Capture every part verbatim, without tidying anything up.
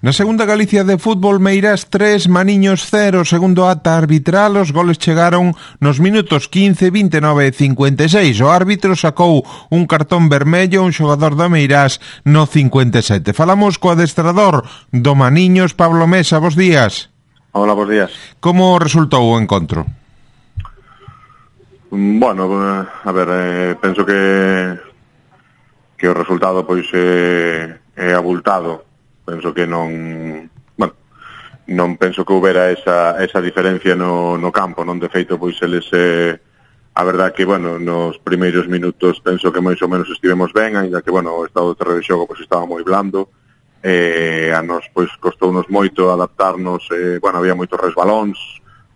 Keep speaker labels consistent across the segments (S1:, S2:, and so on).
S1: Na segunda Galicia de fútbol, Meirás tres, Maniños cero, segundo ata arbitral. Os goles chegaron nos minutos quince, vinte e nove e cincuenta e seis. O árbitro sacou un cartón vermello a un xogador do Meirás no cincuenta e sete. Falamos co adestrador do Maniños, Pablo Mesa. Bos días.
S2: Hola, bos días.
S1: Como resultou o encontro?
S2: Bueno, a ver, eh, penso que que o resultado pois é, é abultado. Penso que non, bueno, non penso que houbera esa, esa diferencia no, no campo, non? De feito, pois eles, eh, a verdad que, bueno, nos primeiros minutos penso que máis ou menos estivemos ben, ainda que, bueno, o estado do terreno de xogo pois estaba moi blando, eh, a nos, pois, costounos moito adaptarnos, eh, bueno, había moitos resbalóns,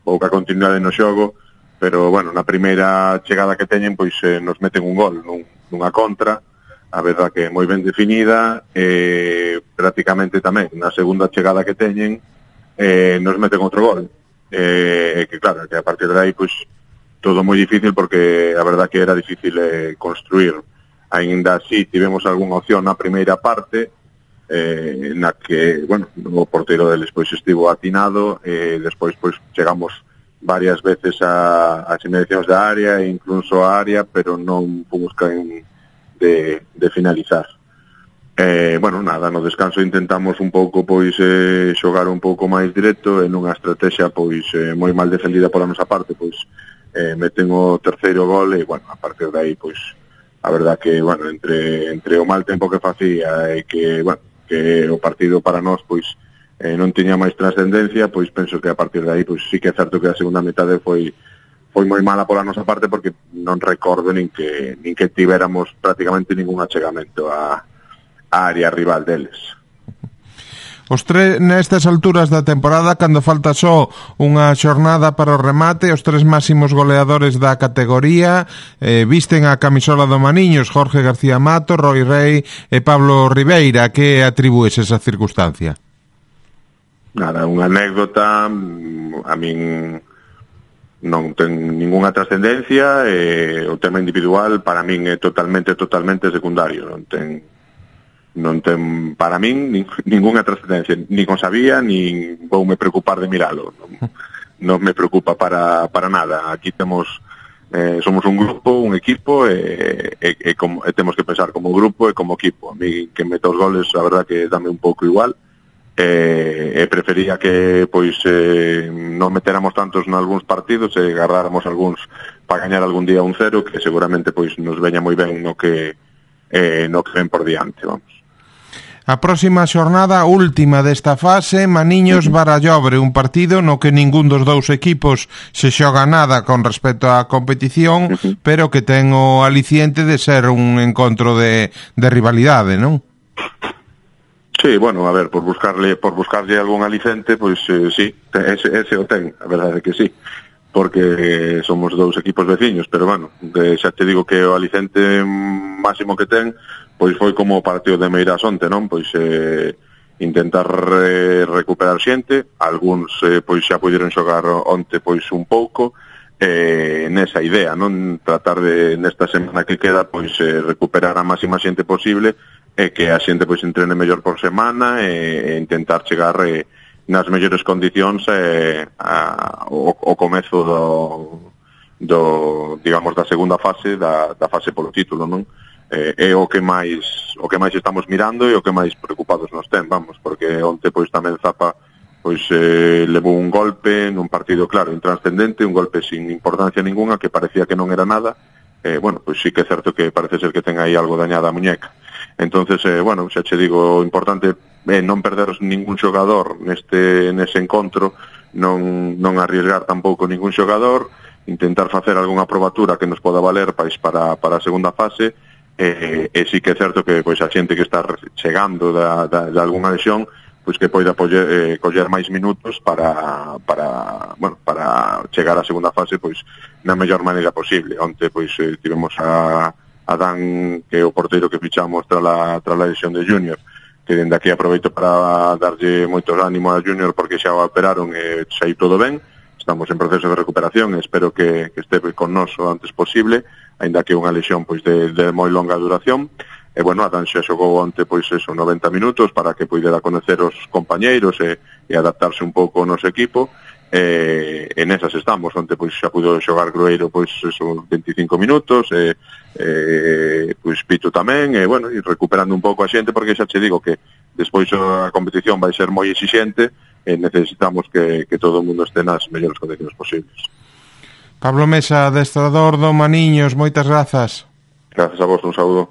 S2: pouca continuidade no xogo, pero, bueno, na primeira chegada que teñen, pois, eh, nos meten un gol, nun, nunha contra, a verdad que moi ben definida, eh, prácticamente tamén na segunda chegada que teñen eh, nos meten outro gol, eh, que claro, que a partir de aí pois todo moi difícil, porque a verdad que era difícil eh, construir. Ainda así tivemos algunha opción na primeira parte, eh, na que, bueno, o porteiro deles pois estivo atinado, e eh, despois pois chegamos varias veces a, a inmediacións da área e incluso a área, pero non fomos caen De, de finalizar. Eh, bueno, nada, no descanso intentamos un pouco pois eh, xogar un pouco máis directo en unha estrategia pois eh, moi mal defendida pola nosa parte, pois eh, meten o terceiro gol e, bueno, a partir de aí, pois a verdad que, bueno, entre entre o mal tempo que facía e que, bueno, que o partido para nós, pois eh, non tiña máis trascendencia, pois penso que a partir de aí, pois sí que é certo que a segunda metade foi foi moi mala pola nosa parte, porque non recordo nin que nin que tivéramos prácticamente ningún achegamento á, á área rival deles.
S1: Os tres nestas alturas da temporada, cando falta só unha xornada para o remate, os tres máximos goleadores da categoría eh, visten a camisola do Maniños: Jorge García Mato, Roy Rey e Pablo Ribeira. Que atribúes esa circunstancia?
S2: Nada, unha anécdota. A min non ten ningunha trascendencia, e o tema individual para min é totalmente, totalmente secundario. Non ten, non ten para min nin, ningunha trascendencia, nin o sabía, nin vou me preocupar de miralo. Non, non me preocupa para, para nada. Aquí temos, eh, somos un grupo, un equipo, e, e, e, como, e temos que pensar como grupo e como equipo. A mí que meta os goles, a verdad que dame un pouco igual. E, e prefería que pois eh, non meteramos tantos nalgúns partidos e agarráramos algúns para gañar algún día un cero, que seguramente pois nos veña moi ben no que eh, no que ven por diante, vamos.
S1: A próxima xornada, última desta fase, Maniños Barallobre, un partido no que ningún dos dous equipos se xoga nada con respecto á competición, uh-huh. pero que ten o aliciente de ser un encontro de, de rivalidade, non?
S2: Sí, bueno, a ver, por buscarle por buscarlle algún alicente, pois eh, sí, ese, ese o ten, a verdade é que sí, porque somos dous equipos veciños, pero bueno, de, xa te digo que o alicente máximo que ten, pois foi como o partido de Meirás onte, non? Pois eh, intentar re, recuperar xente, algúns eh, pois xa puderon xogar onte pois un pouco, eh, nesa idea, non? Tratar de, nesta semana que queda, pois eh, recuperar a máxima xente posible, e que a xente pois entrene mellor por semana, e, e intentar chegar eh, nas mellores condicións eh, a, o, o comezo do, do, digamos, da segunda fase, da, da fase polo título, non? Eh, é o que máis o que máis estamos mirando e o que máis preocupados nos ten, vamos, porque onte pois tamén Zapa pois eh, levou un golpe nun partido, claro, intranscendente, un golpe sin importancia ninguna, que parecía que non era nada. Eh, bueno, pois sí que é certo que parece ser que ten aí algo dañada a muñeca. Entonces, eh, bueno, xa che digo, o importante é non perder ningún xogador neste nese encontro, non non arriesgar tampouco ningún xogador, intentar facer algunha probatura que nos poda valer pois para para a segunda fase, e, e sí que é certo que pois a xente que está chegando da, da, de algunha lesión, pois que poida poller, eh, coller máis minutos para para, bueno, para chegar á segunda fase pois na mellor maneira posible. Onte pois eh, tivemos a a Dan, que é o porteiro que fichamos tras a, tras a lesión de Junior, que dende aquí aproveito para darlle moitos ánimo a Junior, porque xa o operaron e xa todo ben. Estamos en proceso de recuperación e espero que, que este con nos o antes posible, aínda que é unha lesión pois de, de moi longa duración. e bueno, Adán xa xogou onte pois eso, noventa minutos para que poidera conocer os compañeiros e, e adaptarse un pouco ao noso equipo. E, e nesas estamos. Onte pois xa pudo xogar Grueiro pois eso, veinticinco minutos, e, e pois Pito tamén, e bueno, e recuperando un pouco a xente, porque xa che digo que despois a competición vai ser moi exixente e necesitamos que, que todo o mundo este nas mellores condicións posibles.
S1: Pablo Mesa, adestrador do Maniños, moitas grazas.
S2: Grazas a vos, un saúdo.